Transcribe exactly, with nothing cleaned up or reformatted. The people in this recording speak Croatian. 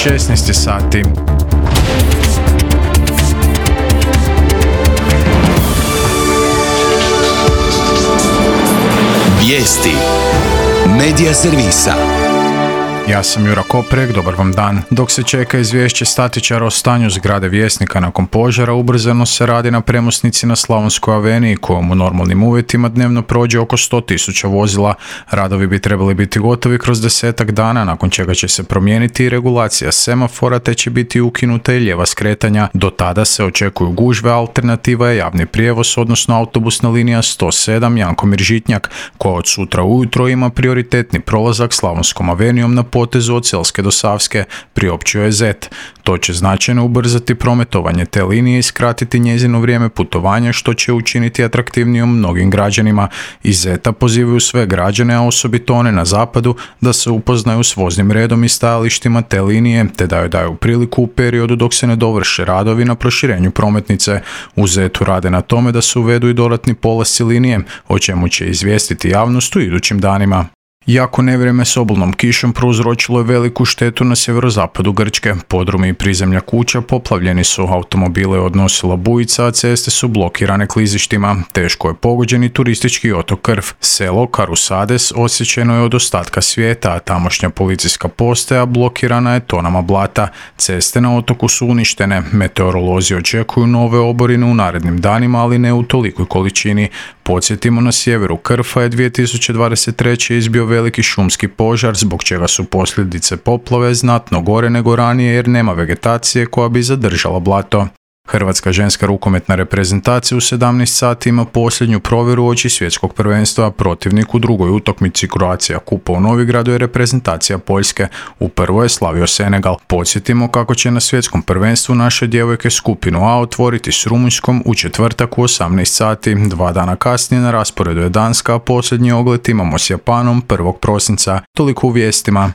šesnaest sati. Vijesti Medija servisa. Ja sam Jura Koprek, dobar vam dan. Dok se čeka izvješće statičara o stanju zgrade Vjesnika nakon požara, ubrzano se radi na premosnici na Slavonskoj aveniji, kojom u normalnim uvjetima dnevno prođe oko sto tisuća vozila. Radovi bi trebali biti gotovi kroz desetak dana, nakon čega će se promijeniti i regulacija semafora, te će biti ukinuta i lijeva skretanja. Do tada se očekuju gužve, alternativa je javni prijevoz, odnosno autobusna linija sto sedam Jankomir-Žitnjak, koja od sutra ujutro ima prioritetni prolazak Slavonskom avenijom na potezu od Selske do Savske, priopćio je Zet. To će značajno ubrzati prometovanje te linije i skratiti njezino vrijeme putovanja, što će učiniti atraktivnijom mnogim građanima. Iz Zeta pozivaju sve građane, a osobito one na zapadu, da se upoznaju s voznim redom i stajalištima te linije, te da joj daju priliku u periodu dok se ne dovrše radovi na proširenju prometnice. U Zetu rade na tome da se uvedu i dodatni polasci linije, o čemu će izvijestiti javnost u idućim danima. Jako nevrijeme s obilnom kišom prouzročilo je veliku štetu na sjeverozapadu Grčke. Podrumi i prizemlja kuća poplavljeni su, automobile je odnosila bujica, a ceste su blokirane klizištima. Teško je pogođen i turistički otok Krf. Selo Karusades osjećeno je od ostatka svijeta, a tamošnja policijska postaja blokirana je tonama blata. Ceste na otoku su uništene. Meteorolozi očekuju nove oborine u narednim danima, ali ne u tolikoj količini. Podsjetimo, na sjeveru Krfa je dvije tisuće dvadeset treće izbio veliki šumski požar, zbog čega su posljedice poplave znatno gore nego ranije jer nema vegetacije koja bi zadržala blato. Hrvatska ženska rukometna reprezentacija u sedamnaest sati ima posljednju provjeru uoči svjetskog prvenstva. Protivnik u drugoj utakmici Croatia Kupa u Novigradu je reprezentacija Poljske. U prvoj je slavio Senegal. Podsjetimo kako će na svjetskom prvenstvu naše djevojke skupinu A otvoriti s Rumunjskom u četvrtak u osamnaest sati. Dva dana kasnije na rasporedu je Danska, a posljednji ogled imamo s Japanom prvog prosinca. Toliko u vijestima.